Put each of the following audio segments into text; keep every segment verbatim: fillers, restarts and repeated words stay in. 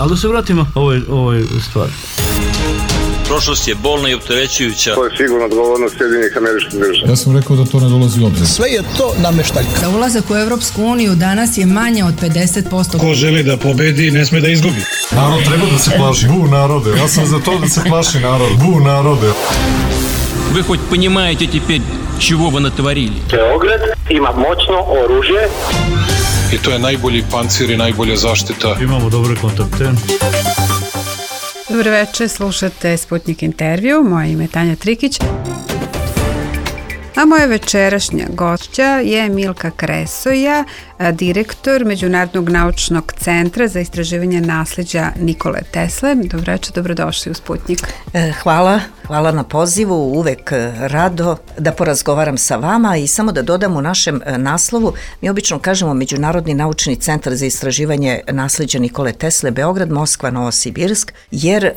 Ali da se vratimo ovoj, ovoj stvari. Prošlost je bolna i opterećujuća. To je sigurno odgovornost Sjedinjenih Američkih Država. Ja sam rekao da to ne dolazi u obzir. Sve je to nameštaljka. Za ulazak u Evropsku uniju danas je manje od pedeset posto. Ko želi da pobedi, ne sme da izgubi. Narod treba da se plaši. Bu narode. Ja sam za to da se plaši narod. Bu narode. Вы хоть понимаете теперь, чего вы натворили? Beograd ima moćno oružje. I to je najbolji pancir i najbolja zaštita. Imamo dobre kontakte. Dobro večer, slušate Sputnik intervju, moje ime je Tanja Trikić. A moja večerašnja gošća je Milka Kresoja, direktor Međunarodnog naučnog centra za istraživanje nasleđa Nikole Tesle. Dobro večer, dobrodošli u Sputnik. Hvala, hvala na pozivu, uvek rado da porazgovaram sa vama i samo da dodam u našem naslovu, mi obično kažemo Međunarodni naučni centar za istraživanje nasleđa Nikole Tesle, Beograd, Moskva, Novosibirsk, jer e,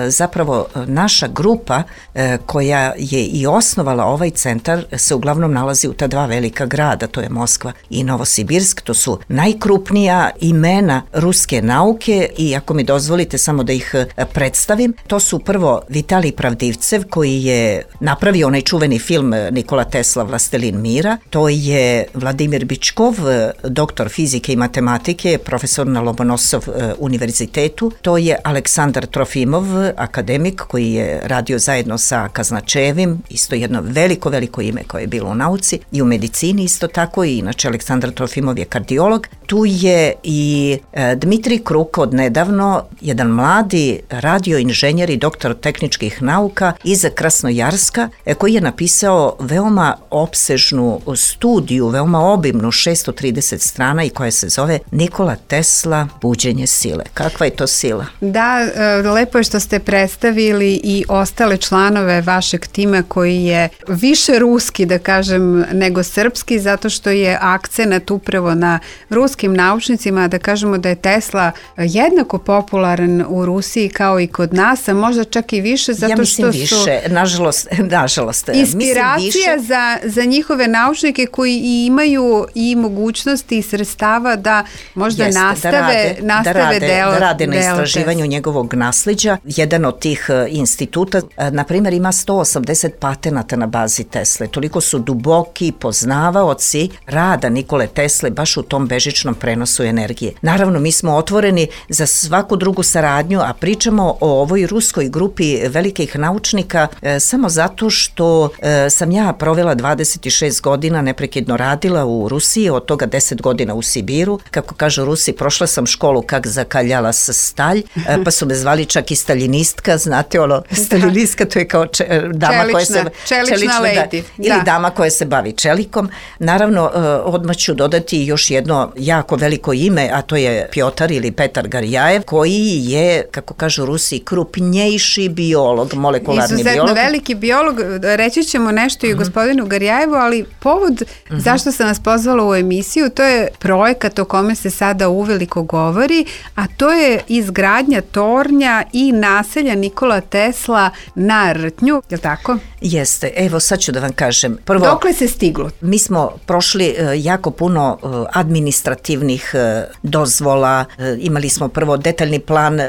zapravo naša grupa e, koja je i osnovala ovaj centar se uglavnom nalazi u ta dva velika grada, to je Moskva i Novosibirsk, to su najkrupnija imena ruske nauke i ako mi dozvolite samo da ih predstavim, to su prvo Vitalij Pravdivcev koji je napravio onaj čuveni film Nikola Tesla Vlastelin mira, to je Vladimir Bičkov, doktor fizike i matematike, profesor na Lomonosov univerzitetu, to je Aleksandar Trofimov, akademik koji je radio zajedno sa Kaznačevim, isto jedno veliko, veliko ime koje je bilo u nauci i u medicini isto tako i inače Aleksandar Trofimov je kardiolog. Tu je i e, Dmitrij Kruk od nedavno, jedan mladi radioinženjer i doktor tehničkih nauka iz Krasnojarska e, koji je napisao veoma opsežnu studiju, veoma obimnu, šesto trideset strana i koja se zove Nikola Tesla, buđenje sile. Kakva je to sila? Da, e, lepo je što ste predstavili i ostale članove vašeg tima koji je više ruski, da kažem, nego srpski, zato što je akcenat upravo na ruskim naučnicima, da kažemo da je Tesla jednako popularan u Rusiji kao i kod nas, a možda čak i više, zato ja mislim što više, su nažalost, nažalost, inspiracija za, za njihove naučnike koji i imaju i mogućnosti i sredstava da možda Jeste, nastave, da rade, nastave da rade, delo, da rade na delo istraživanju Tesla. Njegovog nasleđa. Jedan od tih instituta, na primjer, ima sto osamdeset patenata na bazi Tesle. Toliko su duboki poznavaoci rada Nikole Tesle baš u tom bežičnom prenosu energije. Naravno, mi smo otvoreni za svaku drugu saradnju, a pričamo o ovoj ruskoj grupi velikih naučnika e, samo zato što e, sam ja provela dvadeset šest godina, neprekidno radila u Rusiji, od toga deset godina u Sibiru. Kako kažu Rusi, prošla sam školu kak zakaljala sa stalj, e, pa su me zvali čak i stalinistka, znate ono, stalinistka to je kao če, dama čelična, koja se... Čelična, čelična lady. Da, ili da. dama koja se bavi čelikom. Naravno, e, odmah ću dodati još jedno jako veliko ime, a to je Pjotar ili Petar Garjajev, koji je, kako kažu Rusi, krupnjejši biolog, molekularni Izuzetno biolog. Izuzetno veliki biolog, reći ćemo nešto i o gospodinu Garjajevu, ali povod uh-huh. zašto sam vas pozvala u emisiju, to je projekat o kome se sada uveliko govori, a to je izgradnja tornja i naselja Nikola Tesla na Rtnju, je li tako? Jeste, evo sad ću da vam kažem. Prvo, dokle se stiglo? Mi smo prošli uh, jako puno uh, administrativnih uh, dozvola, uh, imali smo prvo detaljni plan uh,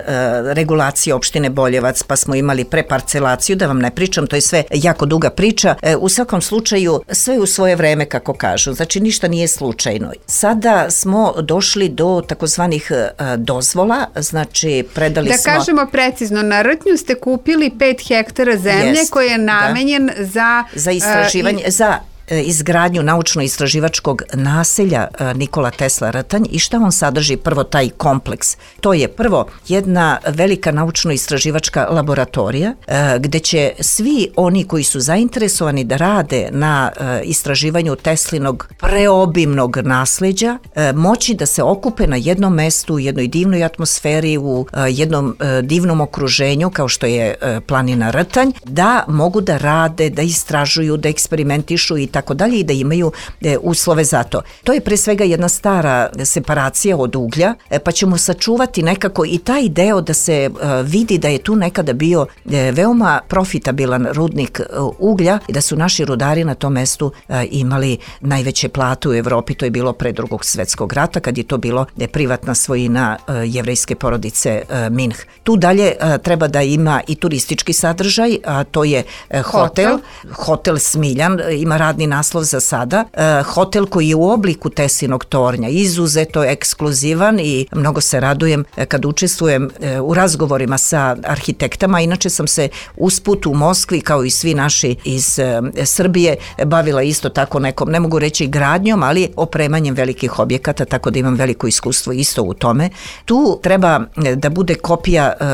regulacije opštine Boljevac, pa smo imali preparcelaciju, da vam ne pričam, to je sve jako duga priča. Uh, u svakom slučaju, sve u svoje vreme, kako kažu, znači ništa nije slučajno. Sada smo došli do takozvanih uh, dozvola, znači predali da smo... Da kažemo precizno, na Rtnju ste kupili pet hektara zemlje Jest, koji je namenjen da. za... Za istraživanje, uh, i... za... izgradnju naučno-istraživačkog naselja Nikola Tesla Rtanj i šta on sadrži prvo taj kompleks. To je prvo jedna velika naučno-istraživačka laboratorija gde će svi oni koji su zainteresovani da rade na istraživanju Teslinog preobimnog nasleđa moći da se okupe na jednom mestu, u jednoj divnoj atmosferi, u jednom divnom okruženju kao što je planina Rtanj, da mogu da rade, da istražuju, da eksperimentišu i tako dalje i da imaju e, uslove za to. To je pre svega jedna stara separacija od uglja, e, pa ćemo sačuvati nekako i taj deo da se e, vidi da je tu nekada bio e, veoma profitabilan rudnik e, uglja i da su naši rudari na tom mestu e, imali najveće plate u Evropi. To je bilo pre Drugog svetskog rata, kad je to bilo e, privatna svojina e, jevrejske porodice e, Minh. Tu dalje e, treba da ima i turistički sadržaj, a to je e, hotel, hotel, hotel Smiljan, e, ima radni naslov za sada, e, hotel koji je u obliku Tesinog tornja, izuzeto ekskluzivan i mnogo se radujem e, kad učestvujem e, u razgovorima sa arhitektama. Inače sam se usput u Moskvi, kao i svi naši iz e, Srbije, bavila isto tako nekom, ne mogu reći gradnjom, ali opremanjem velikih objekata, tako da imam veliko iskustvo isto u tome. Tu treba da bude kopija e,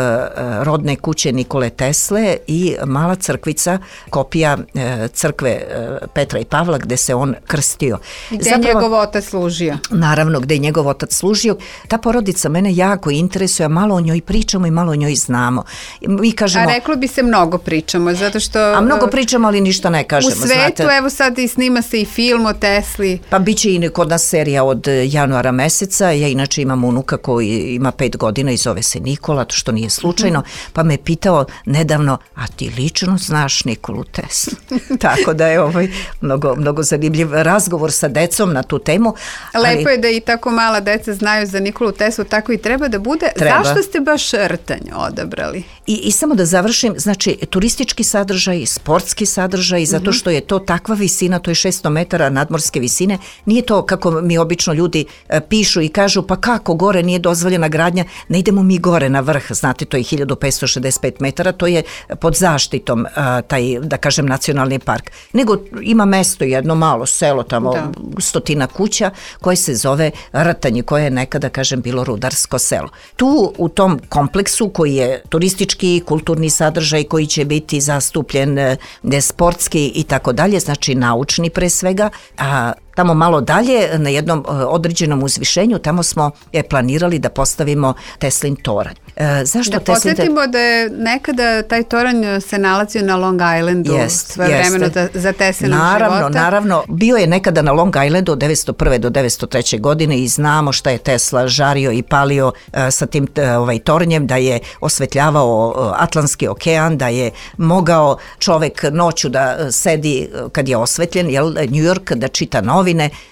rodne kuće Nikole Tesle i mala crkvica, kopija e, crkve e, Petra i Pavla gde se on krstio. Gde je njegov otac služio. Naravno, gde je njegov otac služio. Ta porodica mene jako interesuje, malo o njoj pričamo i malo o njoj znamo. Mi kažemo, a reklo bi se mnogo pričamo, zato što... A mnogo pričamo, ali ništa ne kažemo. U svetu, znate. Evo sad i snima se i film o Tesli. Pa bit će i kod nas serija od januara meseca. Ja inače imam unuka koji ima pet godina i zove se Nikola, to što nije slučajno, mm-hmm. pa me pitao nedavno, a ti lično znaš Nikolu Teslu? Tako da je ovaj mnogo, mnogo zanimljiv razgovor sa decom na tu temu. Lepo ali... je da i tako mala deca znaju za Nikolu Teslu, tako i treba da bude. Treba. Zašto ste baš Rtanj odabrali? I, I samo da završim, znači turistički sadržaj, sportski sadržaj, zato mm-hmm. što je to takva visina, to je šesto metara nadmorske visine, nije to kako mi obično ljudi e, pišu i kažu, pa kako gore nije dozvoljena gradnja, ne idemo mi gore na vrh, znate, to je hiljadu petsto šezdeset pet metara, to je pod zaštitom a, taj, da kažem, nacionalni park. Nego ima mesto, jedno malo selo tamo, da. stotina kuća, koje se zove Rtanj, koje je nekada, kažem, bilo rudarsko selo. Tu u tom kompleksu koji je turistički, kulturni sadržaj, koji će biti zastupljen ne, sportski i tako dalje, znači naučni pre svega, a tamo malo dalje, na jednom određenom uzvišenju, tamo smo je planirali da postavimo Teslin toranj. E, zašto da Teslin... podsjetimo da je nekada taj toranj se nalazio na Long Islandu, jest, svoje vremeno da, za Teslinog naravno, života. Naravno, bio je nekada na Long Islandu od devetsto prve do devetsto treće godine i znamo šta je Tesla žario i palio uh, sa tim uh, ovaj, tornjem, da je osvetljavao uh, Atlantski okean, da je mogao čovek noću da uh, sedi uh, kad je osvetljen, jel, New York, da čita novine.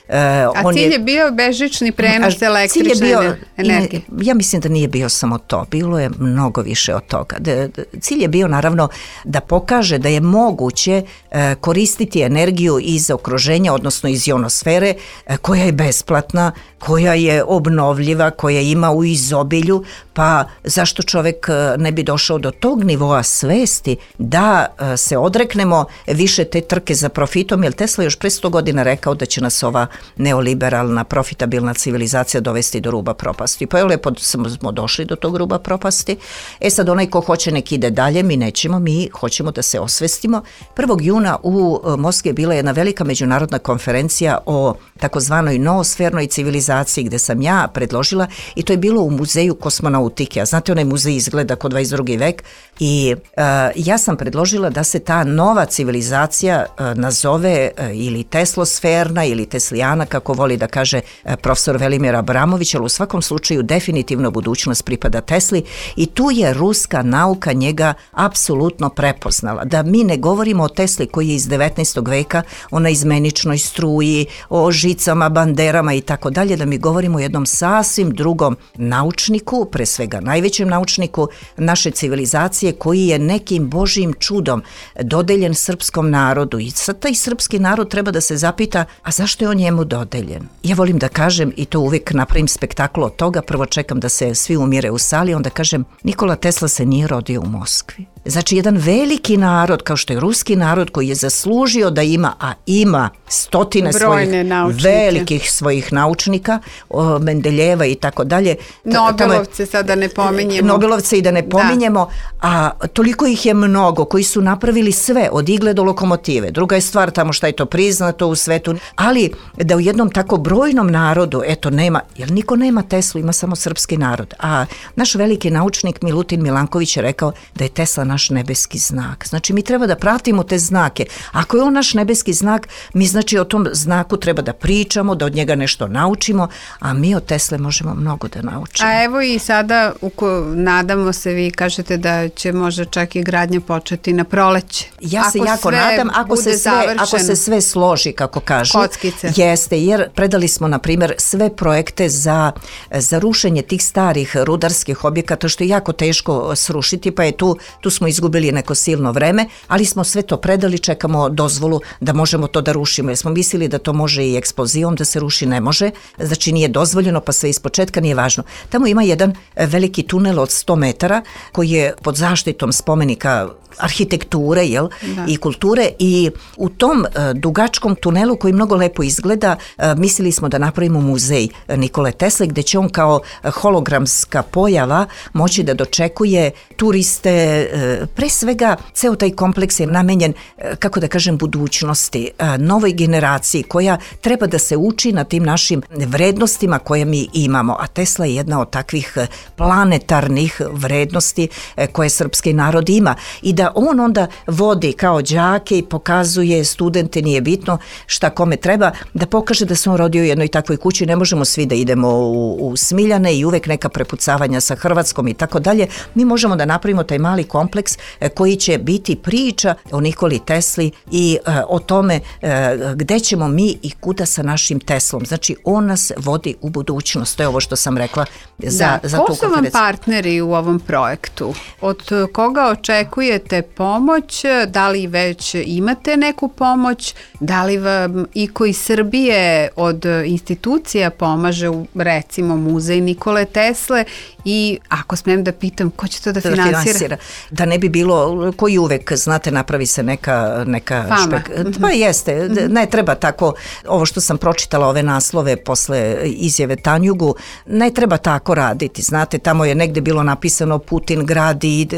Uh, A on cilj je, je bio bežični prenos električne cilj je bio, energije. Ja mislim da nije bio samo to, bilo je mnogo više od toga. De, de, cilj je bio naravno da pokaže da je moguće e, koristiti energiju iz okruženja, odnosno iz ionosfere, e, koja je besplatna, koja je obnovljiva, koja ima u izobilju, pa zašto čovek ne bi došao do tog nivoa svesti da e, se odreknemo više te trke za profitom, jer Tesla još pre sto godina rekao da će nas ova neoliberalna, profitabilna civilizacija dovesti do ruba propasti. Pa je lepo smo došli do tog ruba propasti. E sad, onaj ko hoće nek ide dalje, mi nećemo, mi hoćemo da se osvestimo. prvog juna u Moskvi je bila jedna velika međunarodna konferencija o takozvanoj noosfernoj civilizaciji, gde sam ja predložila, i to je bilo u muzeju kosmonautike. A znate, onaj muzej izgleda kao dvadeset drugi vek, i uh, ja sam predložila da se ta nova civilizacija uh, nazove uh, ili teslosferna ili teslijana, kako voli da kaže uh, profesor Velimir Abramović, ali u svakom slučaju definitivno budućnost pripada Tesli, i tu je ruska nauka njega apsolutno prepoznala. Da mi ne govorimo o Tesli koji je iz devetnaestog veka, o naizmeničnoj struji, o žicama, banderama i tako dalje, da mi govorimo o jednom sasvim drugom naučniku, pre svega najvećem naučniku naše civilizacije, koji je nekim božjim čudom dodeljen srpskom narodu. I sad taj srpski narod treba da se zapita, a zašto je on njemu dodeljen? Ja volim da kažem, i to uvijek napravim spektakl od toga, prvo čekam da se svi umire u sali, onda kažem, Nikola Tesla se nije rodio u Moskvi. Znači, jedan veliki narod, kao što je ruski narod, koji je zaslužio da ima, a ima stotine brojne svojih naučnike, velikih svojih naučnika, o, Mendeljeva i tako dalje. Nobelovce sada ne pominjemo. Nobelovce i da ne pominjemo, da. A toliko ih je mnogo koji su napravili sve, od igle do lokomotive. Druga je stvar tamo šta je to priznato u svetu, ali da u jednom tako brojnom narodu, eto, nema, jer niko nema Teslu, ima samo srpski narod. A naš veliki naučnik Milutin Milanković je rekao da je Tesla naš nebeski znak. Znači mi treba da pratimo te znake. Ako je on naš nebeski znak, mi znači o tom znaku treba da pričamo, da od njega nešto naučimo, a mi od Tesle možemo mnogo da naučimo. A evo i sada, uko, nadamo se, vi kažete da će možda čak i gradnja početi na proleće. Ja se ako jako nadam, ako se, sve, ako se sve složi, kako kažu. Kockice. Jeste, jer predali smo, na primjer, sve projekte za, za rušenje tih starih rudarskih objekata, što je jako teško srušiti, pa je tu, tu smo izgubili neko silno vreme, ali smo sve to predali, čekamo dozvolu da možemo to da rušimo, jer smo mislili da to može i eksplozijom, da se ruši ne može, znači nije dozvoljeno, pa sve ispočetka nije važno. Tamo ima jedan veliki tunel od sto metara koji je pod zaštitom spomenika arhitekture, jel, i kulture, i u tom uh, dugačkom tunelu koji mnogo lepo izgleda, uh, mislili smo da napravimo muzej Nikole Tesle, gde će on kao hologramska pojava moći da dočekuje turiste, uh, pre svega ceo taj kompleks je namenjen, uh, kako da kažem, budućnosti, uh, novoj generaciji koja treba da se uči na tim našim vrednostima koje mi imamo, a Tesla je jedna od takvih planetarnih vrednosti uh, koje srpski narod ima, i da on onda vodi kao đake i pokazuje studente, nije bitno šta kome treba, da pokaže da se on rodio u jednoj takvoj kući. Ne možemo svi da idemo u, u Smiljane i uvek neka prepucavanja sa Hrvatskom i tako dalje. Mi možemo da napravimo taj mali kompleks koji će biti priča o Nikoli Tesli i uh, o tome uh, gde ćemo mi i kuda sa našim Teslom. Znači, on nas vodi u budućnost. To je ovo što sam rekla za, da. za tu konferenciju. Ko su vam partneri u ovom projektu? Od koga očekujete pomoć? Da li već imate neku pomoć? Da li vam i koji Srbije od institucija pomaže u, recimo, muzej Nikole Tesle? I ako smem da pitam, ko će to da, da finansira? finansira? Da ne bi bilo, koji uvek, znate, napravi se neka, neka fama. Špek... Mm-hmm. Pa jeste, ne treba tako, ovo što sam pročitala, ove naslove posle izjave Tanjugu, ne treba tako raditi, znate, tamo je negde bilo napisano Putin gradi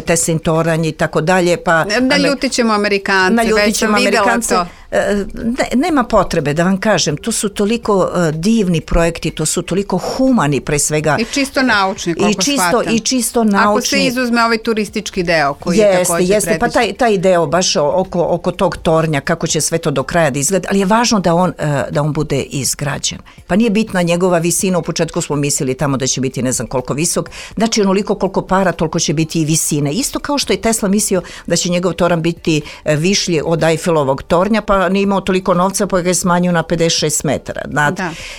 Teslin toranj i tako dalje, pa... Naljutit ćemo Amerikance, već sam videla to. Ne, nema potrebe da vam kažem, to su toliko uh, divni projekti, to su toliko humani pre svega. I čisto naučni, koliko I čisto, shvatam. I čisto naučni. Ako se izuzme ovaj turistički deo koji jeste, je također jeste, pa taj, taj deo baš oko, oko tog tornja, kako će sve to do kraja da izgleda, ali je važno da on, uh, da on bude izgrađen. Pa nije bitna njegova visina, u početku smo mislili tamo da će biti ne znam koliko visok, znači onoliko koliko para, toliko će biti i visine. Isto kao što je Tesla mislio da će njegov toranj biti višlji od Eiffelovog tornja, pa nije imao toliko novca pa ga je smanjio na pedeset šest metara. Da.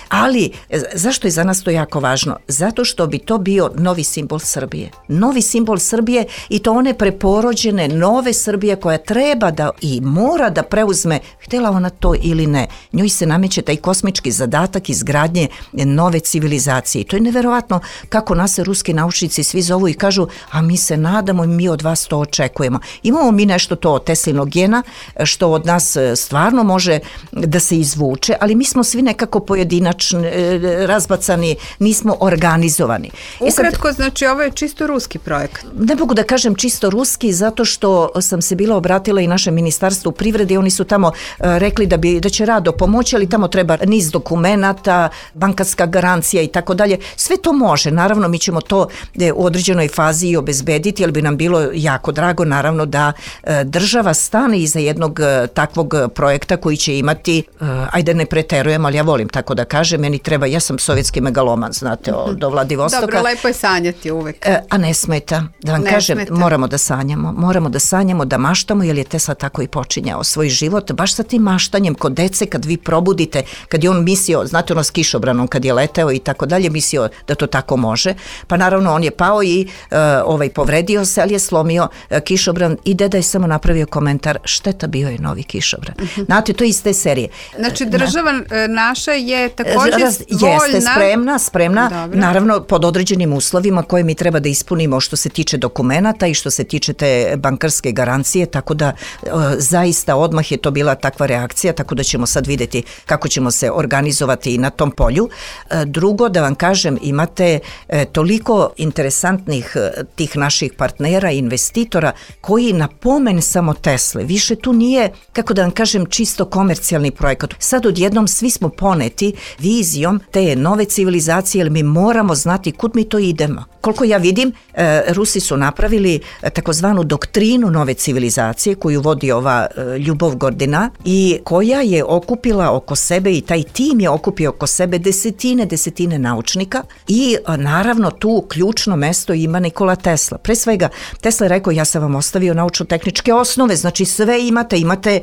Ali zašto je za nas to jako važno? Zato što bi to bio novi simbol Srbije. Novi simbol Srbije i to one preporođene nove Srbije koja treba da i mora da preuzme, htjela ona to ili ne. Njoj se nameće taj kosmički zadatak izgradnje nove civilizacije. To je neverovatno kako nas se ruski naučnici svi zovu i kažu, a mi se nadamo i mi od vas to očekujemo. Imamo mi nešto to od Teslinog gena što od nas stvarno može da se izvuče, ali mi smo svi nekako pojedinačni, razbacani, nismo organizovani. Ukratko, znači ovo je čisto ruski projekat. Ne mogu da kažem čisto ruski, zato što sam se bila obratila i našem ministarstvu privrede i oni su tamo rekli da, bi, da će rado pomoći, ali tamo treba niz dokumenata, bankarska garancija i tako dalje. Sve to može, naravno mi ćemo to u određenoj fazi i obezbediti, ali bi nam bilo jako drago, naravno, da država stane iza jednog takvog projekta koji će imati, uh, ajde ne preterujem, ali ja volim tako da kažem, meni treba, ja sam sovjetski megaloman, znate, o, do Vladivostoka. Dobro, lepo je sanjati uvek. Uh, a ne smeta, da vam ne kažem, smeta. moramo da sanjamo, moramo da sanjamo, da maštamo, jer je Tesla tako i počinjao svoj život, baš sa tim maštanjem kod dece, kad vi probudite, kad je on mislio, znate ono s kišobranom, kad je leteo i tako dalje, mislio da to tako može, pa naravno on je pao i uh, ovaj, povredio se, ali je slomio uh, kišobran i deda je samo napravio komentar, šteta, bio je novi kišobran. Uh-huh. Znate, to je iz te serije. Znači država naša je također Raz, voljna. Jeste spremna, spremna, Dobro. Naravno pod određenim uslovima koje mi treba da ispunimo što se tiče dokumenata i što se tiče te bankarske garancije, tako da e, zaista odmah je to bila takva reakcija, tako da ćemo sad vidjeti kako ćemo se organizovati i na tom polju. E, drugo, da vam kažem, imate e, toliko interesantnih e, tih naših partnera i investitora koji na pomen samo Tesle, više tu nije, kako da vam kažem, čisto komercijalni projekat. Sad odjednom svi smo poneti vizijom te nove civilizacije, jer mi moramo znati kud mi to idemo. koliko ja vidim, e, Rusi su napravili takozvanu doktrinu nove civilizacije koju vodi ova e, Ljubov Gordina i koja je okupila oko sebe i taj tim je okupio oko sebe desetine, desetine naučnika i a, naravno tu ključno mesto ima Nikola Tesla. Pre svega, Tesla je rekao, ja sam vam ostavio naučno-tehničke osnove, znači sve imate, imate,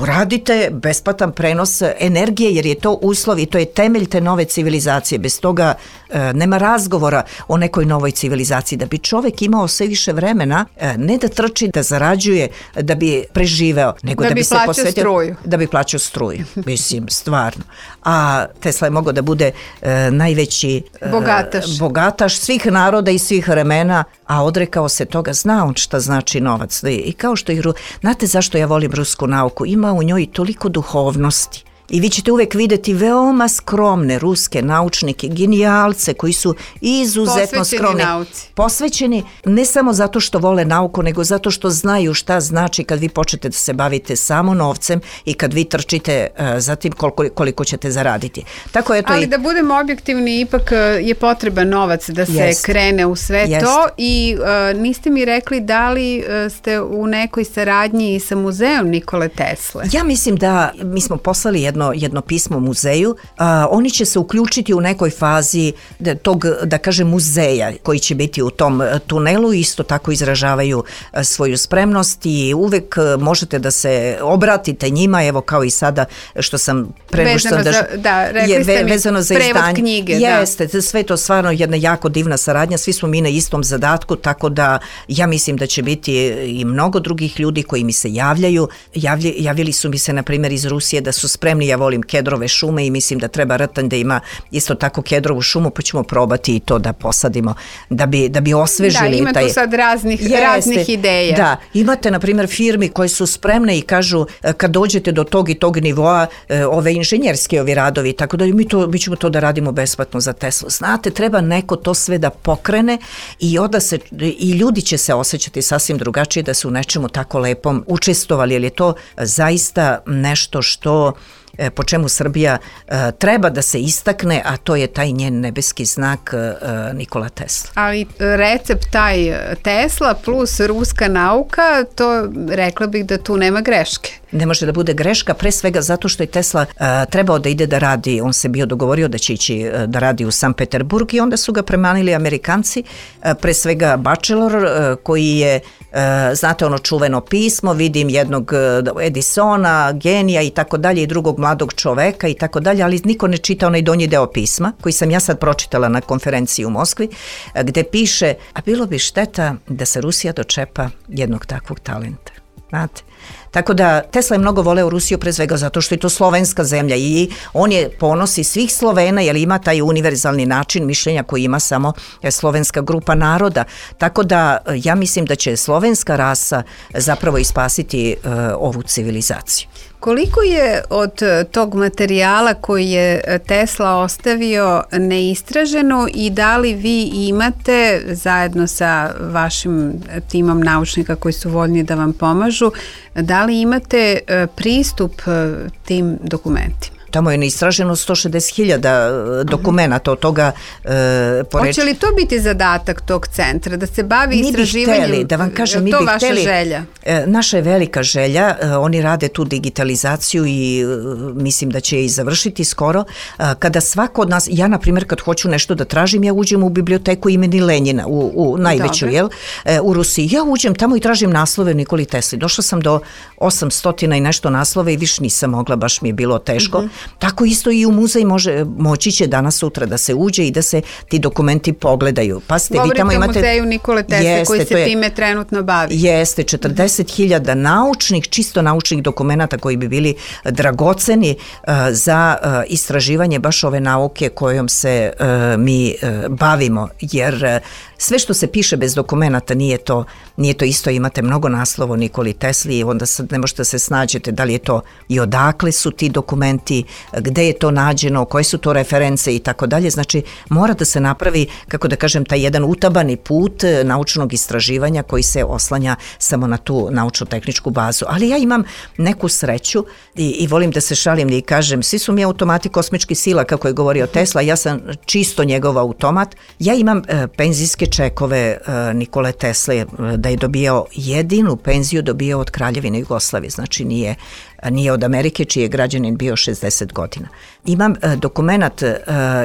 uradite besplatan prenos energije jer je to uslov i to je temelj te nove civilizacije. Bez toga e, nema razgovora o nekoj novoj civilizaciji. Da bi čovek imao sve više vremena, e, ne da trči, da zarađuje, da bi preživeo, nego da, da bi, bi se posvetio struju. Da bi plaćao struju. Mislim, stvarno. A Tesla je mogao da bude e, najveći e, bogataš. bogataš svih naroda i svih vremena, a odrekao se toga, zna on šta znači novac. I kao što i, znate zašto ja volim rusku nauku? Ima u njoj toliko duhovnosti. I vi ćete uvek videti veoma skromne ruske naučnike, genijalce koji su izuzetno posvećeni skromni. Nauci. Posvećeni ne samo zato što vole nauku, nego zato što znaju šta znači kad vi počnete da se bavite samo novcem i kad vi trčite uh, za tim koliko, koliko ćete zaraditi. Tako eto. Ali i... da budemo objektivni, ipak je potreban novac da se Jest. krene u sve Jest. to i uh, niste mi rekli da li uh, ste u nekoj saradnji sa muzeom Nikole Tesle? Ja mislim da mi smo poslali jedno Jedno, jedno pismo muzeju, a, oni će se uključiti u nekoj fazi da, tog, da kažem, muzeja koji će biti u tom tunelu i isto tako izražavaju a, svoju spremnost i uvek a, možete da se obratite njima, evo kao i sada što sam vezano za, da, rekli je, ste mi vezano za prevod izdanje. knjige. Jeste, da. sve to stvarno jedna jako divna saradnja, svi smo mi na istom zadatku, tako da ja mislim da će biti i mnogo drugih ljudi koji mi se javljaju. Javlj, javili su mi se na primjer iz Rusije da su spremni, ja volim kedrove šume i mislim da treba Rtan da ima isto tako kedrovu šumu, pa ćemo probati i to da posadimo, da bi, da bi osvežili. Da, ima taj... tu sad raznih, Jeste, raznih ideja. Da, imate na primjer firmi koje su spremne i kažu kad dođete do tog i tog nivoa, ove inženjerske ovi radovi, tako da mi, to, mi ćemo to da radimo besplatno za Teslu. Znate, treba neko to sve da pokrene i onda se, i ljudi će se osjećati sasvim drugačije da su u nečemu tako lepom učestvovali, jer je to zaista nešto što po čemu Srbija uh, treba da se istakne, a to je taj njen nebeski znak uh, Nikola Tesla. Ali recept taj Tesla plus ruska nauka, to rekla bih da tu nema greške. Ne može da bude greška, pre svega zato što je Tesla uh, trebao da ide da radi, on se bio dogovorio da će ići uh, da radi u Sankt Peterburg i onda su ga premanili Amerikanci, uh, pre svega Bachelor uh, koji je, uh, znate ono čuveno pismo, vidim jednog uh, Edisona, genija i tako dalje i drugog mladog čoveka i tako dalje, ali niko ne čita onaj donji deo pisma koji sam ja sad pročitala na konferenciji u Moskvi, uh, gde piše, a bilo bi šteta da se Rusija dočepa jednog takvog talenta. Znate? Tako da Tesla je mnogo voleo Rusiju pre svega zato što je to slovenska zemlja i on je ponosi svih Slovena jer ima taj univerzalni način mišljenja koji ima samo slovenska grupa naroda. Tako da ja mislim da će slovenska rasa zapravo ispasiti uh, ovu civilizaciju. Koliko je od tog materijala koji je Tesla ostavio neistraženo i da li vi imate zajedno sa vašim timom naučnika koji su voljni da vam pomažu, da li imate pristup tim dokumentima? Tamo je neistraženo sto šezdeset hiljada dokumenata od toga e, poreč... Hoće li to biti zadatak tog centra, da se bavi mi istraživanjem? Mi bi hteli, da vam kažem, mi to bi vaša hteli, želja? E, naša je velika želja, e, oni rade tu digitalizaciju i e, mislim da će je i završiti skoro. E, kada svako od nas, ja na primjer kad hoću nešto da tražim, ja uđem u biblioteku imeni Lenjina, u, u najveću, jel, e, u Rusiji. Ja uđem tamo i tražim naslove Nikoli Tesli. Došla sam do osamsto i nešto naslova i više nisam mogla, baš mi je bilo teško. Mm-hmm. Tako isto i u muzej može, moći će danas sutra da se uđe i da se ti dokumenti pogledaju. Pa ste, govorite vi tamo imate, o muzeju Nikole Tesle jeste, koji se je, time trenutno bavi. Jeste, četrdeset hiljada naučnih, čisto naučnih dokumenata koji bi bili dragoceni uh, za uh, istraživanje baš ove nauke kojom se uh, mi uh, bavimo, jer uh, sve što se piše bez dokumenata nije to, nije to isto, imate mnogo naslova o Nikoli Tesli i onda sad ne možete se snađete da li je to i odakle su ti dokumenti gde je to nađeno, koje su to reference i tako dalje. Znači, mora da se napravi, kako da kažem, taj jedan utabani put naučnog istraživanja koji se oslanja samo na tu naučno-tehničku bazu. Ali ja imam neku sreću i, i volim da se šalim i kažem, svi su mi automati kosmičkih sila, kako je govorio Tesla, ja sam čisto njegov automat. Ja imam e, penzijske čekove e, Nikole Tesle, e, da je dobijao jedinu penziju dobijao od Kraljevine Jugoslavije, znači nije nije od Amerike, čiji je građanin bio šezdeset godina. Imam e, dokumenat e,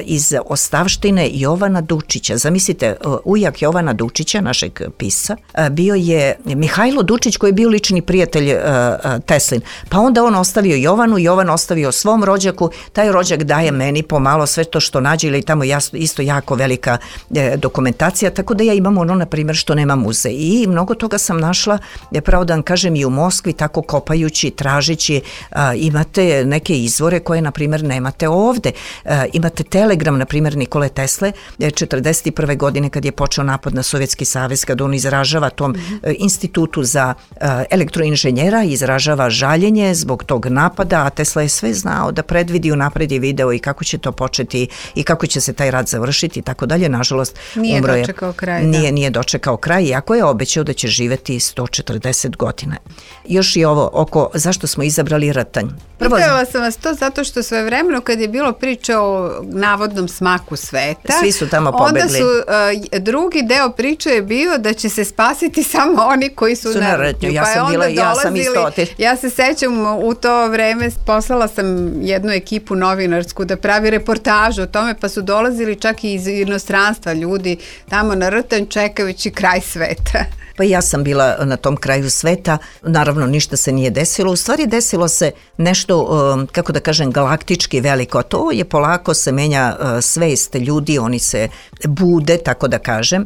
iz ostavštine Jovana Dučića. Zamislite, e, ujak Jovana Dučića, našeg pisca, e, bio je Mihajlo Dučić koji je bio lični prijatelj e, e, Teslin. Pa onda on ostavio Jovanu, Jovan ostavio svom rođaku, taj rođak daje meni pomalo sve to što nađe, ili tamo jasno, isto jako velika e, dokumentacija, tako da ja imam ono, na primjer, što nema muzej. I mnogo toga sam našla, je pravo da vam kažem, i u Moskvi, tako kopajući, tražići. A, imate neke izvore koje, na primjer, nemate ovde. A, imate telegram, na primjer, Nikole Tesle, četrdeset prve godine kad je počeo napad na Sovjetski savez, kad on izražava tom mm-hmm. institutu za a, elektroinženjera, izražava žaljenje zbog tog napada, a Tesla je sve znao da predvidi, unapred je video i kako će to početi i kako će se taj rat završiti i tako dalje. Nažalost, nije umro je, dočekao kraj. Nije, da. nije dočekao kraj, iako je obećao da će živeti sto četrdeset godina. Još i ovo oko zašto smo izabrali Rtanj. Prvo, pitala sam vas to zato što sve vremeno kad je bilo priče o navodnom smaku sveta, svi su tamo pobegli. Onda su, uh, drugi deo priče je bio da će se spasiti samo oni koji su, su na Rtnju. Ja pa sam bila, dolazili, ja sam isto otiš. Ja se sećam u to vreme, poslala sam jednu ekipu novinarsku da pravi reportažu o tome, pa su dolazili čak i iz inostranstva ljudi tamo na Rtanj čekajući kraj sveta. Pa ja sam bila na tom kraju sveta, naravno ništa se nije desilo, u stvari desilo se nešto, kako da kažem, galaktički veliko, a to je polako se menja svest ljudi, oni se bude, tako da kažem.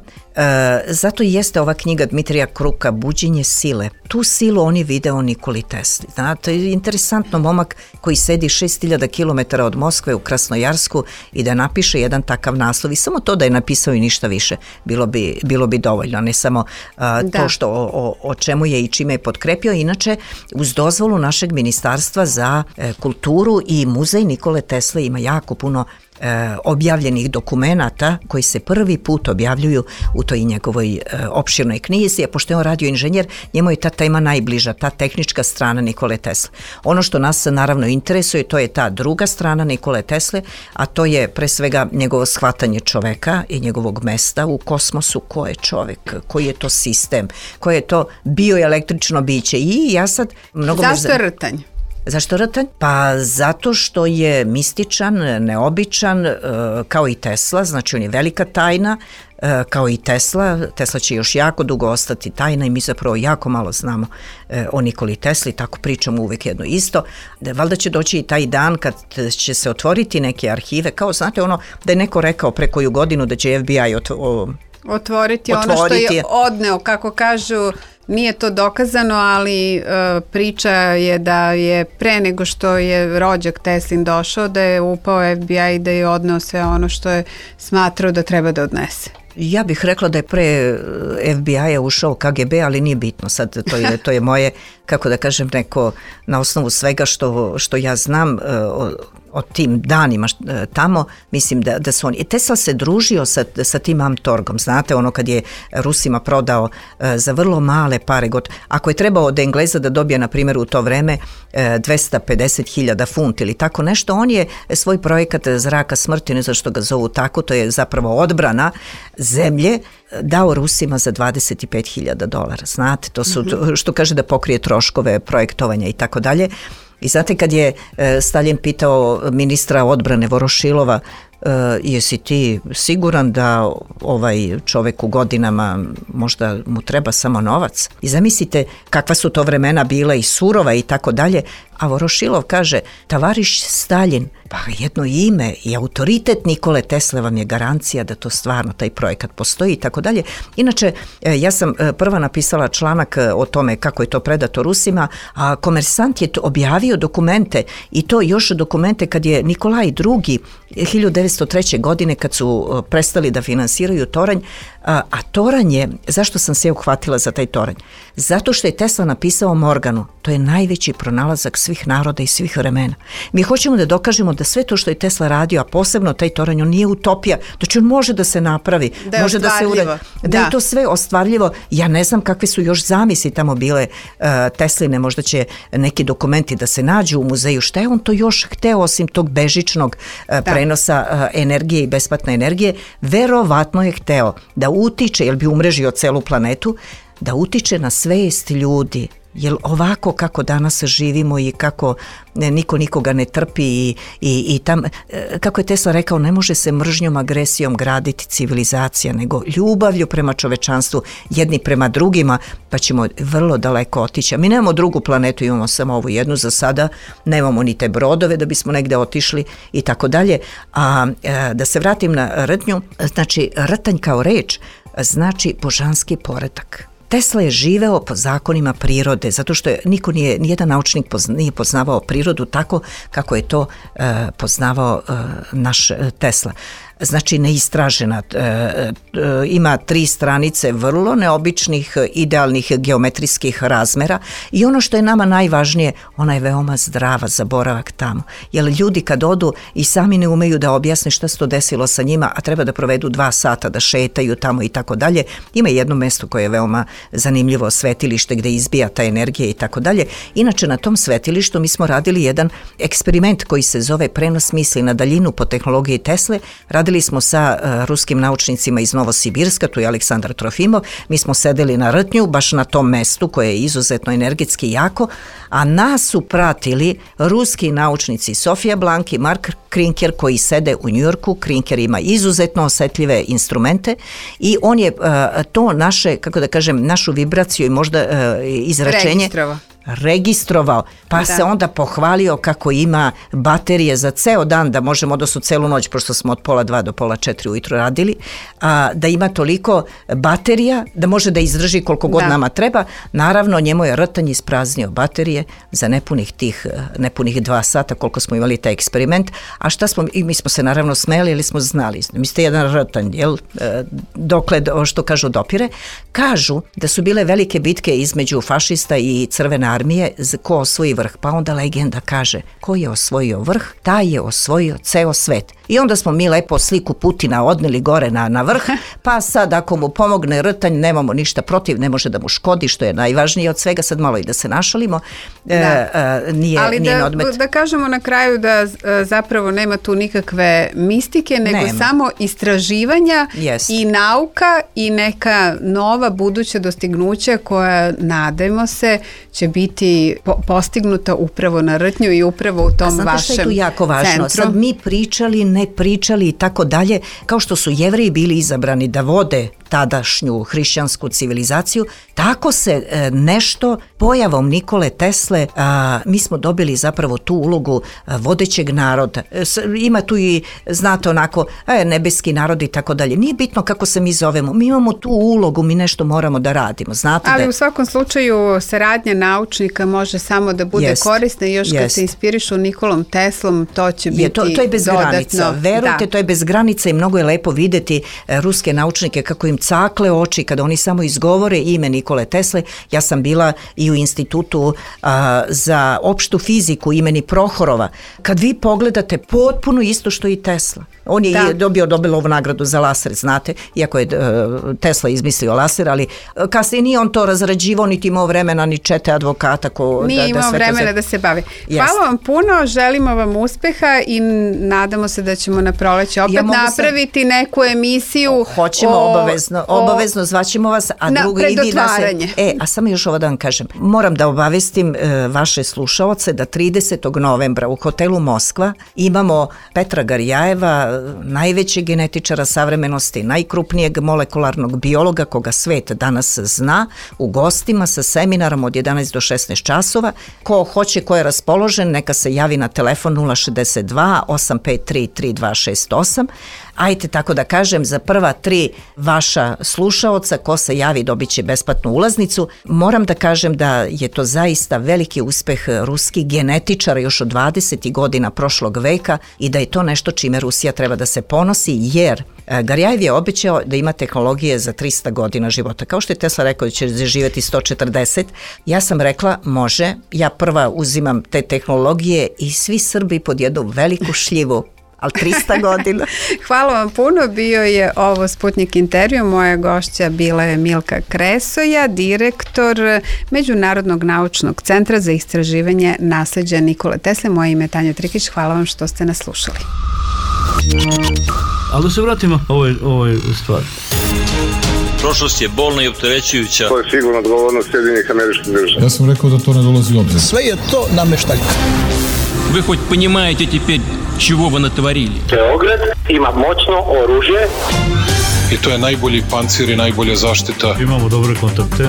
Zato i jeste ova knjiga Dmitrija Kruka, Buđenje sile. Tu silu oni video Nikoli Tesli. Znate, interesantno, momak koji sedi šest hiljada kilometara od Moskve u Krasnojarsku i da napiše jedan takav naslov i samo to da je napisao i ništa više, bilo bi, bilo bi dovoljno, ne samo a, to što o, o, o čemu je i čime je potkrepio. Inače, uz dozvolu našeg ministarstva za e, kulturu i muzej Nikole Tesle ima jako puno E, objavljenih dokumenata koji se prvi put objavljuju u toj njegovoj e, opširnoj knjizi, a pošto je on radio inženjer, njemu je ta tema najbliža, ta tehnička strana Nikole Tesle. Ono što nas naravno interesuje, to je ta druga strana Nikole Tesle, a to je pre svega njegovo shvatanje čoveka i njegovog mesta u kosmosu, ko je čovek, koji je to sistem, koje je to bioelektrično biće. I ja sad mnogo... Zašto je Rtanj? Zašto Rtanj? Pa zato što je mističan, neobičan, kao i Tesla, znači on je velika tajna, kao i Tesla. Tesla će još jako dugo ostati tajna i mi zapravo jako malo znamo o Nikoli Tesli, tako pričamo uvek jedno isto. Valjda će doći i taj dan kad će se otvoriti neke arhive, kao znate ono da je neko rekao pre koju godinu da će F B I ot, o, otvoriti, otvoriti ono što je odneo, kako kažu. Nije to dokazano, ali uh, priča je da je pre nego što je rođak Teslin došao, da je upao F B I i da je odneo sve ono što je smatrao da treba da odnese. Ja bih rekla da je pre F B I-a ušao K G B, ali nije bitno. Sad to je, to je moje, kako da kažem, neko na osnovu svega što, što ja znam o, o tim danima tamo, mislim da, da su oni... Tesla se družio sa, sa tim Amtorgom, znate, ono kad je Rusima prodao za vrlo male pare, god, ako je trebao od Engleza da dobije, na primjer, u to vreme dvesta pedeset hiljada funti ili tako nešto, on je svoj projekat Zraka smrti, ne znam što ga zovu tako, to je zapravo odbrana zemlje, dao Rusima za dvadeset pet hiljada dolara. Znate, to su, to, što kaže da pokrije troškove projektovanja i tako dalje. I znate kad je e, Stalin pitao ministra odbrane Vorošilova, e, jesi ti siguran da ovaj čovek u godinama možda mu treba samo novac? I zamislite kakva su to vremena bila i surova i tako dalje, a Vorošilov kaže, tavariš Stalin, pa jedno ime i autoritet Nikole Tesle vam je garancija da to stvarno taj projekat postoji i tako dalje. Inače, ja sam prva napisala članak o tome kako je to predato Rusima, a Komersant je objavio dokumente i to još dokumente kad je Nikolaj drugi hiljadu devetsto treće. godine kad su prestali da finansiraju toranj, a, a toranj je, zašto sam se uhvatila za taj toranj? Zato što je Tesla napisao Morganu, to je najveći pronalazak svih naroda i svih vremena. Mi hoćemo da dokažemo da sve to što je Tesla radio, a posebno taj toranj, on nije utopija, znači on može da se napravi, da može da se uradi, da, da je to sve ostvarljivo. Ja ne znam kakve su još zamisli tamo bile uh, Tesline, možda će neki dokumenti da se nađu u muzeju, šta je on to još hteo osim tog bežičnog uh, prenosa uh, energije i besplatne energije, verovatno je hteo da utiče, jer bi umrežio celu planetu, da utiče na svest ljudi. Jer ovako kako danas živimo i kako ne, niko nikoga ne trpi i, i, i tam, kako je Tesla rekao, ne može se mržnjom, agresijom graditi civilizacija, nego ljubavlju prema čovečanstvu, jedni prema drugima, pa ćemo vrlo daleko otići. A mi nemamo drugu planetu, imamo samo ovu jednu za sada, nemamo ni te brodove da bismo negde otišli i tako dalje. A da se vratim na rtnju, znači rtanj kao reč znači božanski poredak. Tesla je živeo po zakonima prirode, zato što je niko nije, nijedan naučnik pozna, nije poznavao prirodu tako kako je to uh, poznavao uh, naš uh, Tesla. Znači neistražena, e, e, ima tri stranice vrlo neobičnih, idealnih geometrijskih razmera i ono što je nama najvažnije, ona je veoma zdrava za boravak tamo. Jer ljudi kad odu i sami ne umeju da objasne šta se to desilo sa njima, a treba da provedu dva sata, da šetaju tamo i tako dalje. Ima jedno mesto koje je veoma zanimljivo, svetilište gde izbija ta energija i tako dalje. Inače na tom svetilištu mi smo radili jedan eksperiment koji se zove prenos misli na daljinu po tehnologiji Tesle. Radili smo sa uh, ruskim naučnicima iz Novosibirska, tu je Aleksandar Trofimov, mi smo sedeli na rtnju, baš na tom mestu koje je izuzetno energetski jako, a nas su pratili ruski naučnici Sofija Blank i Mark Krinker koji sede u Njujorku. Krinker ima izuzetno osetljive instrumente i on je uh, to naše, kako da kažem, našu vibraciju i možda uh, izračenje registrovao. registrovao, pa da. se onda pohvalio kako ima baterije za ceo dan, da možemo, odnosno celu noć, pošto smo od pola dva do pola četiri ujutro radili, a, da ima toliko baterija da može da izdrži koliko god da. nama treba. Naravno, njemu je rtanj ispraznio baterije za nepunih tih, nepunih dva sata koliko smo imali taj eksperiment, a šta smo, i mi smo se naravno smeli, ili smo znali, mi ste jedan rtanj, jel, dokle, što kažu, dopire. Kažu da su bile velike bitke između fašista i crvene armije, ko osvoji vrh, pa onda legenda kaže, ko je osvojio vrh, taj je osvojio ceo svet. I onda smo mi lepo sliku Putina odneli gore na, na vrh, pa sad ako mu pomogne rtanj, nemamo ništa protiv, ne može da mu škodi, što je najvažnije od svega, sad malo i da se našalimo, da. E, e, nije, ali nije da, odmet. da kažemo na kraju da e, zapravo nema tu nikakve mistike, nego nema. samo istraživanja yes. i nauka i neka nova buduća dostignuća koja, nadajmo se, će biti po, postignuta upravo na rtnju i upravo u tom vašem centru. A znate što je tu jako važno? Centru. Sad mi pričali, ne pričali i tako dalje, kao što su Jevreji bili izabrani da vode tadašnju hrišćansku civilizaciju, tako se e, nešto pojavom Nikole Tesle, a, mi smo dobili zapravo tu ulogu a, vodećeg naroda. E, s, ima tu i, znate, onako, e, nebeski narod i tako dalje. Nije bitno kako se mi zovemo, mi imamo tu ulogu, mi nešto moramo da radimo. Znate. Ali da, u svakom slučaju saradnja naučnika može samo da bude jest, korisna i još jest. kad se inspirišu Nikolom Teslom, to će biti je, to, to je bez dodatno. Granica. Verujte, da. to je bez granica i mnogo je lepo videti e, ruske naučnike kako im cakle oči kada oni samo izgovore ime Nikole Tesle. Ja sam bila i u institutu a, za opštu fiziku imeni Prohorova. Kad vi pogledate, potpuno isto što i Tesla. On je da. dobio Nobelovu nagradu za laser, znate, iako je uh, Tesla izmislio laser, ali uh, kasnije nije on to razrađivao, niti imao vremena, ni čete advokata. Ko, nije da, imao da vremena da se bavi. Yes. Hvala vam puno, želimo vam uspeha i nadamo se da ćemo na proleće opet ja napraviti sam... neku emisiju. Hoćemo o, obavezno, o, obavezno zvaćemo vas, a na, drugo i vi da se... E, a samo još ovo da vam kažem. Moram da obavestim uh, vaše slušaoce da tridesetog novembra u hotelu Moskva imamo Petra Garjajeva, najvećeg genetičara savremenosti, najkrupnijeg molekularnog biologa koga svet danas zna, u gostima sa seminarom od jedanaest do šesnaest časova. Ko hoće, ko je raspoložen, neka se javi na telefon nula šezdeset dva osam pet tri tri dva šest osam. Ajte tako da kažem, za prva tri vaša slušaoca ko se javi dobit će besplatnu ulaznicu. Moram da kažem da je to zaista veliki uspeh ruskih genetičara još od dvadesetih godina prošlog veka i da je to nešto čime Rusija treba da se ponosi, jer Garjajev je obećao da ima tehnologije za trista godina života. Kao što je Tesla rekao da će živjeti sto četrdeset, ja sam rekla može, ja prva uzimam te tehnologije i svi Srbi pod jednu veliku šljivu, ali trista godina. Hvala vam puno, bio je ovo Sputnik intervju, moja gošća bila je Milka Kresoja, direktor Međunarodnog naučnog centra za istraživanje nasleđa Nikole Tesle. Moje ime je Tanja Trikić, hvala vam što ste nas slušali. Ali da se vratimo ovoj, ovoj stvari. Prošlost je bolna i opterećujuća. To je sigurno odgovornost Sjedinjenih Američkih Država. Ja sam rekao da to ne dolazi u obzir. Sve je to nameštaljka. Вы хоть понимаете теперь, чего вы натворили? Beograd ima moćno oružje. I to je najbolji pancir i najbolja zaštita. Imamo dobre kontakte.